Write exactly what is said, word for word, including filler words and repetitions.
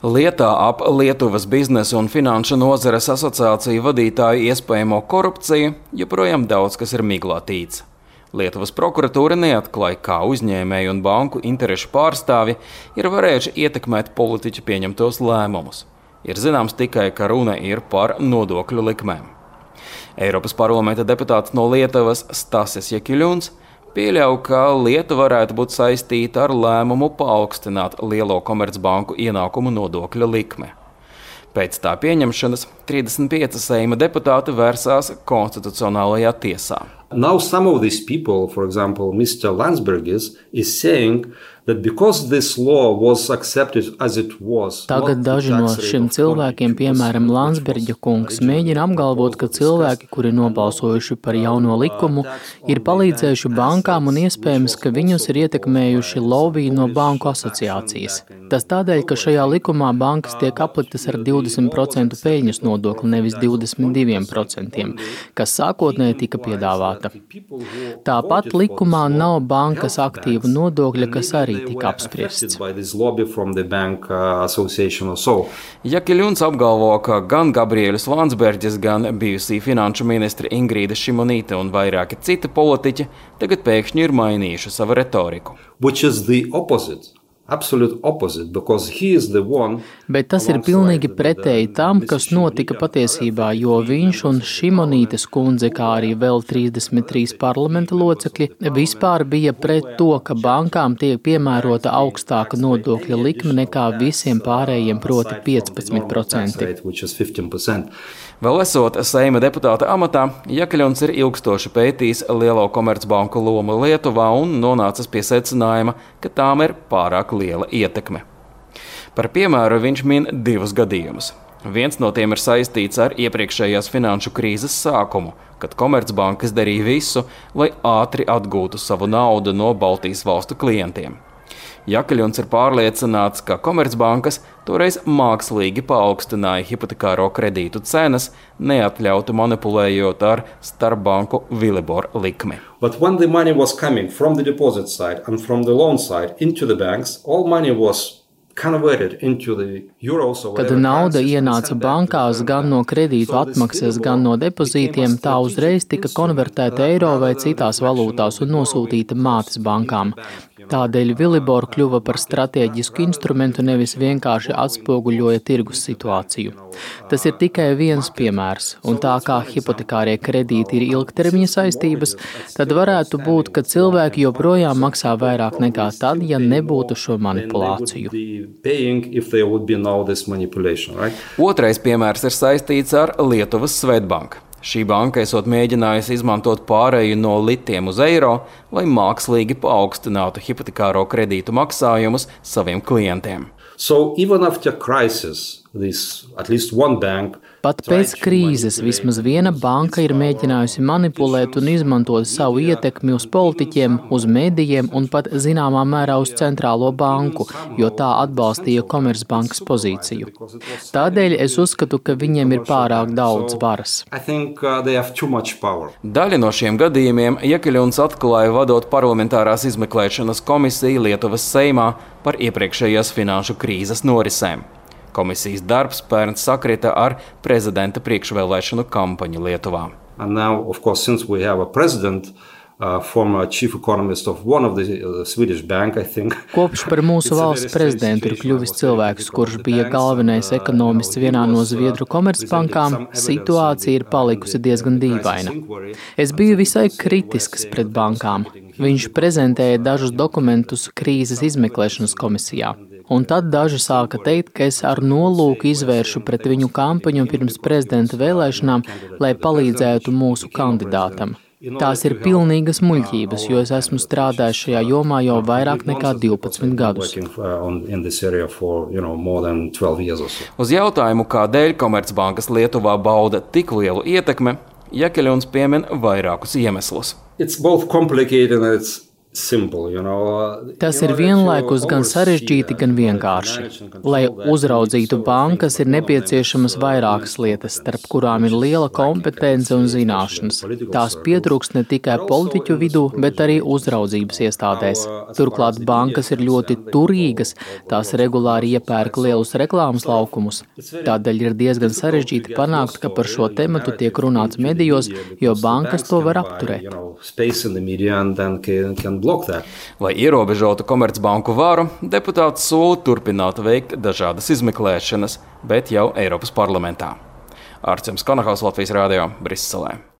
Lietā ap Lietuvas biznesa un finanšu nozares asociāciju vadītāju iespējamo korupciju joprojām daudz kas ir miglātīts. Lietuvas prokuratūra neatklāja, kā uzņēmēju un banku interešu pārstāvi ir varējuši ietekmēt politiķu pieņemtos lēmumus. Ir zināms tikai, ka runa ir par nodokļu likmēm. Eiropas parlamenta deputāts no Lietuvas Stasis Jakiļuns pieļauj, ka Lietuva varētu būt saistīta ar lēmumu paaugstināt lielo komercbanku ienākumu nodokļa likme. Pēc tā pieņemšanas trīsdesmit pieci Seima deputāti vērsās konstitucionālajā tiesā. Now some of these people, for example, mister Landsbergis, is saying that because this law was accepted as it was. Tagad daži no šiem cilvēkiem, piemēram, Landsberģa kungs, mēģina apgalvot, ka cilvēki, kuri nobalsojuši par jauno likumu, ir palīdzējuši bankām un iespējams, ka viņus ir ietekmējuši lobby no banku asociācijas. Tas tādēļ, ka šajā likumā bankas tiek apliktas ar divdesmit procentu peļņas nodokli, nevis divdesmit divi procenti, kas sākotnēji tika piedāvāta. Tāpat likumā nav bankas aktīvu nodokļa, kas arī tika apspriests. Jakiļuns apgalvo, ka gan Gabriēlis Landsberģis, gan bijusī finanšu ministri Ingrīda Šimonīte un vairāki citi politiķi tagad pēkšņi ir mainījuši savu retoriku. Which is the opposite. Absolute opposite, because he is the one. Bet tas ir pilnīgi pretēji tam, kas notika patiesībā, jo viņš un Šimonītes kundze, kā arī vēl trīsdesmit trīs parlamenta locekļi, vispār bija pret to, ka bankām tiek piemērota augstāka nodokļa likme nekā visiem pārējiem, proti piecpadsmit procenti. Vēl esot Seima deputāta amatā, Jakiļuns ir ilgstoši pētījis lielo komercbanku lomu Lietuvā un nonācis pie secinājuma, ka tām ir pārāk liela ietekme. Par piemēru viņš min divus gadījumus. Viens no tiem ir saistīts ar iepriekšējās finanšu krīzes sākumu, kad komercbankas darīja visu, lai ātri atgūtu savu naudu no Baltijas valstu klientiem. Jakiļuns ir pārliecināts, ka komercbankas toreiz mākslīgi paaugstināja hipotekāro kredītu cenas, neatļautu manipulējot ar starpbanku Vilibor likmi. But when the money was coming from the deposit side and from the loan side into the banks, all money was Kad nauda ienāca bankās gan no kredītu atmaksas, gan no depozītiem, tā uzreiz tika konvertēta eiro vai citās valūtās un nosūtīta mātes bankām. Tādēļ Vilibor kļuva par stratēģisku instrumentu, nevis vienkārši atspoguļoja tirgus situāciju. Tas ir tikai viens piemērs, un tā kā hipotekārie kredīti ir ilgtermiņa saistības, tad varētu būt, ka cilvēki joprojām maksā vairāk nekā tad, ja nebūtu šo manipulāciju. Right? Otrais piemērs ir saistīts ar Lietuvas Svedbanku. Šī banka esot mēģinājusi izmantot pārēju no litiem uz eiro, lai mākslīgi paaugstinātu hipotekāro kredītu maksājumus saviem klientiem. So even after crisis, this at least one bank. Pat pēc krīzes vismaz viena banka ir mēģinājusi manipulēt un izmantot savu ietekmi uz politiķiem, uz medijiem un pat zināmā mērā uz centrālo banku, jo tā atbalstīja Komercbankas pozīciju. Tādēļ es uzskatu, ka viņiem ir pārāk daudz varas. Daļa no šiem gadījumiem Jakiļuns atklāja vadot parlamentārās izmeklēšanas komisiju Lietuvas Seimā par iepriekšējās finanšu krīzes norisēm. Komisijas darbs pērn sakrita ar prezidenta priekšvēlēšanu kampaņu Lietuvā. And now, of course, since we have a president, uh, former chief economist of one of the uh, Swedish bank, I think. Kopš par mūsu valsts prezidentu ir kļuvis cilvēks, kurš bija galvenais ekonomists vienā no Zviedru komercbankām, situācija ir palikusi diezgan dīvaina. Es biju visai kritisks pret bankām. Viņš prezentēja dažus dokumentus krīzes izmeklēšanas komisijā. Un tad daži sāka teikt, ka es ar nolūku izvēršu pret viņu kampaņu pirms prezidenta vēlēšanām, lai palīdzētu mūsu kandidātam. Tās ir pilnīgas muļķības, jo es esmu strādājis šajā jomā jau vairāk nekā divpadsmit gadus. Uz jautājumu, kādēļ Komercbankas Lietuvā bauda tik lielu ietekmi, Jakiļuns piemin vairākus iemeslus. It's both complicated and it's simple, you know. Tas ir vienlaikus gan sarežģīti, gan vienkārši. Lai uzraudzītu bankas, ir nepieciešamas vairākas lietas, starp kurām ir liela kompetence un zināšanas. Tās pietrūkst ne tikai politiķu vidū, bet arī uzraudzības iestādēs. Turklāt bankas ir ļoti turīgas, tās regulāri iepērk lielus reklāmas laukumus. Tādēļ ir diezgan sarežģīti panākt, ka par šo tematu tiek runāts medijos, jo bankas to var apturēt. Lai ierobežotu Komercbanku varu, deputāts sola turpināt veikt dažādas izmeklēšanas, bet jau Eiropas parlamentā. Artsems Konahaus, Latvijas radio, Briselē.